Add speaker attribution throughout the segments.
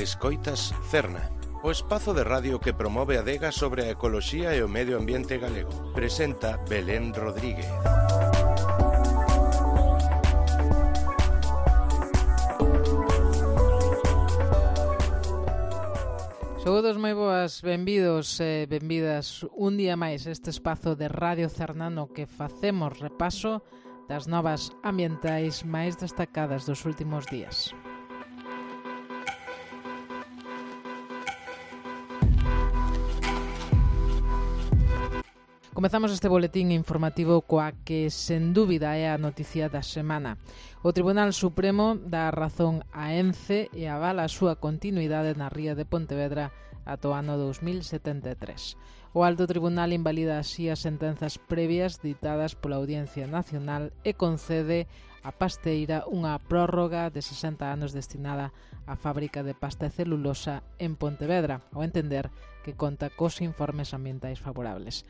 Speaker 1: Escoitas Cerna, o espazo de radio que promove a adega sobre a ecoloxía e o medio ambiente galego. Presenta Belén Rodríguez.
Speaker 2: Saúdos moi boas, benvidos e benvidas un día máis a este espazo de Radio Cerna no que facemos repaso das novas ambientais máis destacadas dos últimos días. Comezamos este boletín informativo coa que, sen dúbida, é a noticia da semana. O Tribunal Supremo dá razón a Ence e avala a súa continuidade na ría de Pontevedra ata o ano 2073. O Alto Tribunal invalida así as sentenzas previas ditadas pola Audiencia Nacional e concede a Pasteira unha prórroga de 60 anos destinada á fábrica de pasta e celulosa en Pontevedra, ao entender que conta cos informes ambientais favorables.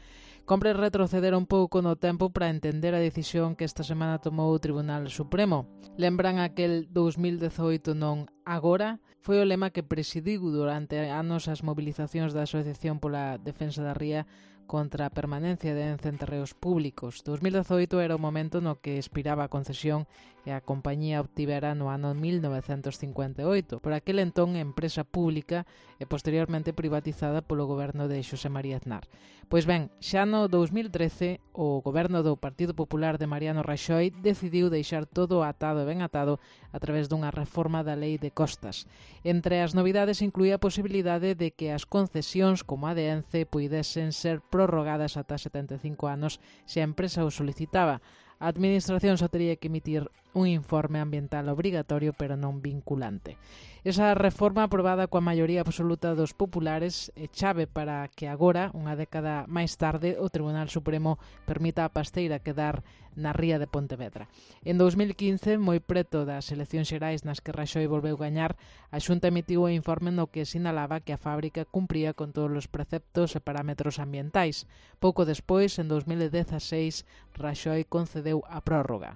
Speaker 2: Compre retroceder un pouco no tempo para entender a decisión que esta semana tomou o Tribunal Supremo. Lembran aquel 2018 non agora? Foi o lema que presidiu durante anos as mobilizacións da Asociación pola Defensa da Ría contra a permanencia de Ence en terreos públicos. 2018 era o momento no que expiraba a concesión e a compañía obtivera no ano 1958, por aquel entón empresa pública e posteriormente privatizada polo goberno de Xosé María Aznar. Pois ben, xa no 2013 o goberno do Partido Popular de Mariano Raxoi decidiu deixar todo atado e ben atado a través dunha reforma da Lei de Costas. Entre as novidades incluía a posibilidade de que as concesións como a de Ence puidesen ser prorrogadas ata 75 anos se a empresa o solicitaba. A Administración só tería que emitir un informe ambiental obrigatorio pero non vinculante. Esa reforma aprobada coa maioría absoluta dos populares é chave para que agora, unha década máis tarde, o Tribunal Supremo permita a Pasteira quedar na ría de Pontevedra. En 2015, moi preto das eleccións xerais nas que Raxoi volveu gañar, a Xunta emitiu o informe no que sinalaba que a fábrica cumpría con todos os preceptos e parámetros ambientais. Pouco despois, en 2016, Raxoi concedeu a prórroga.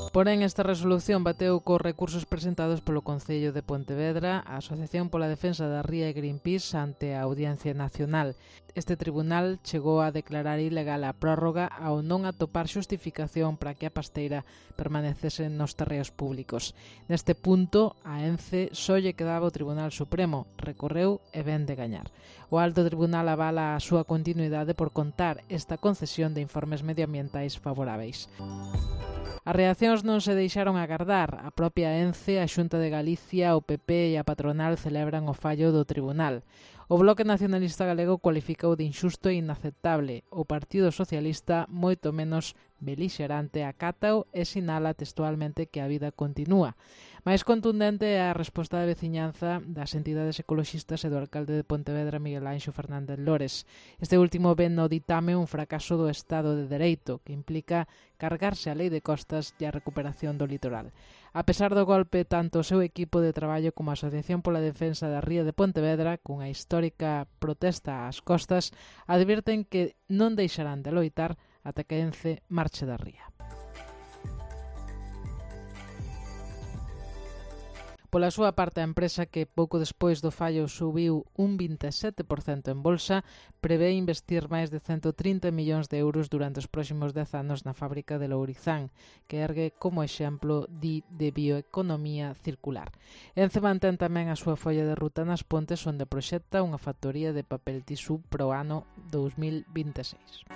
Speaker 2: Porén, esta resolución bateu cos recursos presentados polo Concello de Pontevedra, a Asociación pola Defensa da Ría e Greenpeace ante a Audiencia Nacional. Este tribunal chegou a declarar ilegal a prórroga ao non atopar xustificación para que a Pasteira permanecese nos terreos públicos. Neste punto, a Ence só lle quedaba o Tribunal Supremo, recorreu e ven de gañar. O Alto Tribunal avala a súa continuidade por contar esta concesión de informes medioambientais favoráveis. As reaccións non se deixaron agardar. A propia Ence, a Xunta de Galicia, o PP e a patronal celebran o fallo do tribunal. O Bloque Nacionalista Galego cualificou de inxusto e inaceptable. O Partido Socialista, moito menos belixerante, acátao e sinala textualmente que a vida continúa. Mais contundente é a resposta da veciñanza das entidades ecoloxistas e do alcalde de Pontevedra, Miguel Anxo Fernández Lores. Este último ven no ditame un fracaso do Estado de Dereito, que implica cargarse a Lei de Costas e a recuperación do litoral. A pesar do golpe, tanto o seu equipo de traballo como a Asociación pola Defensa da Ría de Pontevedra, cunha histórica protesta ás costas, advirten que non deixarán de loitar ata que Ence marche da ría. Pola súa parte, a empresa que pouco despois do fallo subiu un 27% en bolsa prevé investir máis de 130 millóns de euros durante os próximos 10 anos na fábrica de Lourizán, que ergue como exemplo de bioeconomía circular. Ence mantén tamén a súa folla de ruta nas Pontes, onde proxecta unha factoría de papel tisú para o ano 2026.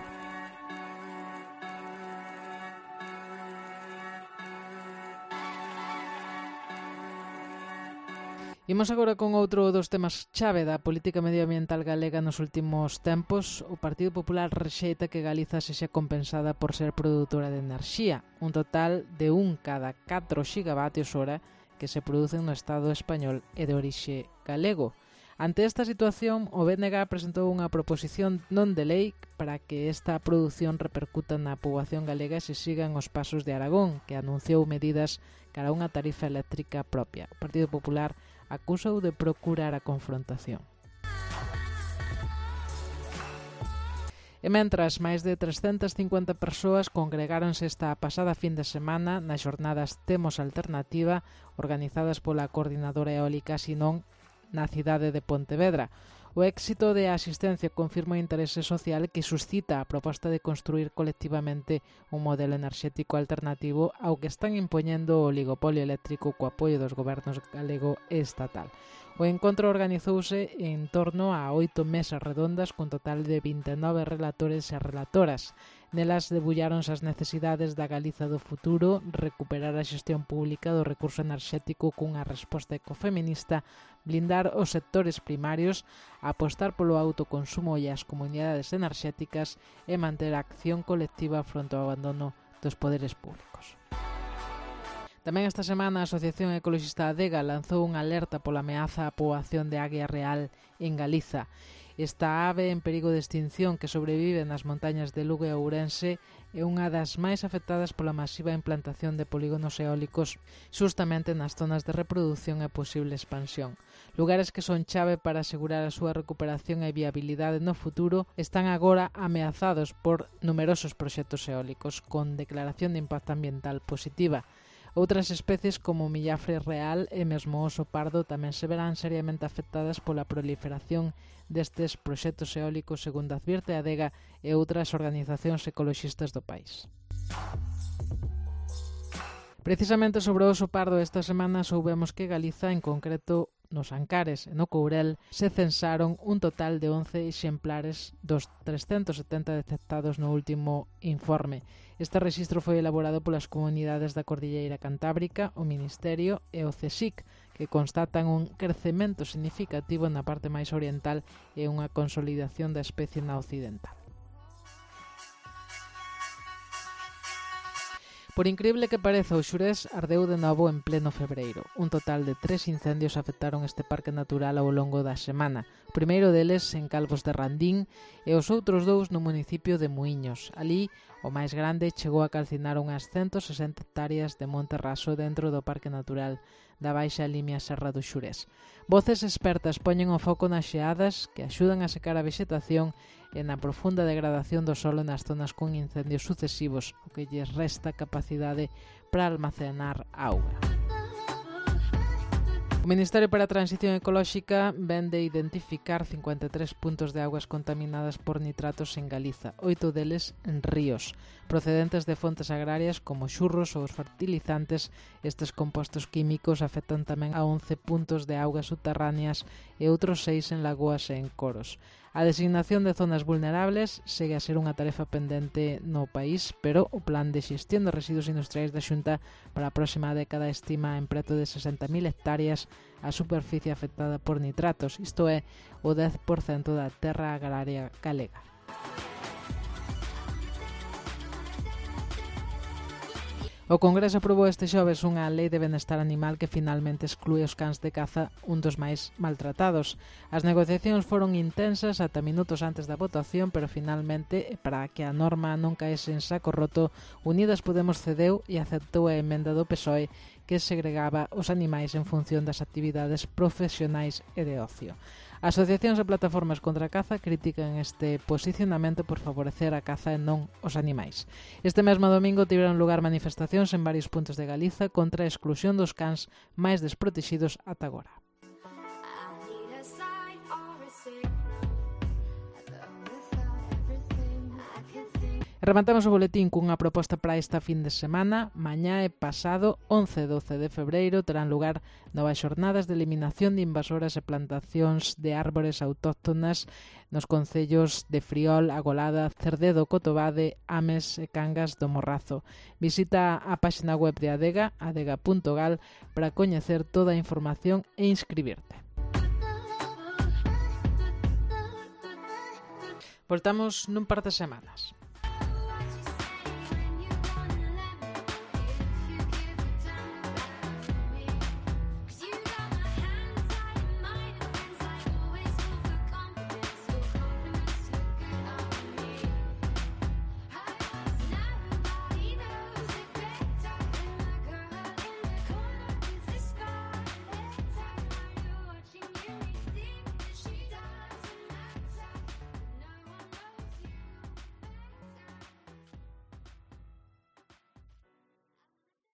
Speaker 2: Imos agora con outro dos temas chave da política medioambiental galega nos últimos tempos. O Partido Popular rexeita que Galiza sexa compensada por ser produtora de enerxía, un total de 1 cada 4 gigavatios hora que se producen no Estado español e de orixe galego. Ante esta situación, o BNG presentou unha proposición non de lei para que esta produción repercuta na poboación galega e se sigan os pasos de Aragón, que anunciou medidas cara a unha tarifa eléctrica propia. O Partido Popular acusou de procurar a confrontación. E mentras, máis de 350 persoas congregáronse esta pasada fin de semana nas xornadas Temos Alternativa, organizadas pola Coordinadora Eólica Sinón na cidade de Pontevedra. O éxito de asistencia confirma o interese social que suscita a proposta de construir colectivamente un modelo enerxético alternativo ao que están impoñendo o oligopolio eléctrico co apoio dos gobernos galego e estatal. O encontro organizouse en torno a 8 mesas redondas con total de 29 relatores e relatoras. Nelas debulláronse as necesidades da Galiza do futuro, recuperar a xestión pública do recurso enerxético cunha resposta ecofeminista, blindar os sectores primarios, apostar polo autoconsumo e as comunidades enerxéticas e manter a acción colectiva fronte ao abandono dos poderes públicos. Tamén esta semana a Asociación Ecologista Adega lanzou unha alerta pola ameaza á poboación de águia real en Galiza. Esta ave en perigo de extinción que sobrevive nas montañas de Lugo e Ourense é unha das máis afectadas pola masiva implantación de polígonos eólicos xustamente nas zonas de reproducción e posible expansión. Lugares que son chave para asegurar a súa recuperación e viabilidade no futuro están agora ameazados por numerosos proxectos eólicos con declaración de impacto ambiental positiva. Outras especies como o millafre real e mesmo o oso pardo tamén se verán seriamente afectadas pola proliferación destes proxectos eólicos, segundo advirte a Adega e outras organizacións ecoloxistas do país. Precisamente sobre o oso pardo esta semana soubemos que Galiza, en concreto nos Ancares e no Courel, se censaron un total de 11 exemplares dos 370 detectados no último informe. Este rexistro foi elaborado polas comunidades da Cordilleira Cantábrica, o Ministerio e o CSIC, que constatan un crecemento significativo na parte máis oriental e unha consolidación da especie na occidental. Por increíble que pareza, o Xurés ardeu de novo en pleno febreiro. Un total de 3 incendios afectaron este parque natural ao longo da semana. O primeiro deles en Calvos de Randín e os outros 2 no municipio de Muíños. Alí, o máis grande chegou a calcinar unhas 160 hectáreas de monte raso dentro do parque natural da Baixa Limia Serra do Xurés. Voces expertas poñen o foco nas xeadas que axudan a secar a vexetación e na profunda degradación do solo nas zonas con incendios sucesivos, o que lles resta capacidade para almacenar auga. O Ministerio para a Transición Ecolóxica ven de identificar 53 puntos de augas contaminadas por nitratos en Galiza, 8 deles en ríos. Procedentes de fontes agrarias como xurros ou os fertilizantes, estes compostos químicos afectan tamén a 11 puntos de augas subterráneas e outros 6 en lagoas e en coros. A designación de zonas vulnerables segue a ser unha tarefa pendente no país, pero o Plan de Xestión de Residuos Industriais da Xunta para a próxima década estima en preto de 60.000 hectáreas a superficie afectada por nitratos, isto é, o 10% da terra agraria galega. O Congreso aprobou este xoves unha lei de benestar animal que finalmente exclúe os cans de caza, un dos máis maltratados. As negociacións foron intensas ata minutos antes da votación, pero finalmente, para que a norma non caese en saco roto, Unidas Podemos cedeu e aceptou a emenda do PSOE que segregaba os animais en función das actividades profesionais e de ocio. Asociacións e plataformas contra a caza critican este posicionamento por favorecer a caza e non os animais. Este mesmo domingo tiveron lugar manifestacións en varios puntos de Galiza contra a exclusión dos cans máis desprotegidos ata agora. Rematamos o boletín cunha proposta para esta fin de semana. Mañá e pasado, 11 e 12 de febreiro, terán lugar novas xornadas de eliminación de invasoras e plantacións de árbores autóctonas nos concellos de Friol, Agolada, Cerdedo, Cotobade, Ames e Cangas do Morrazo. Visita a páxina web de Adega, adega.gal, para coñecer toda a información e inscribirte. Voltamos nun par de semanas.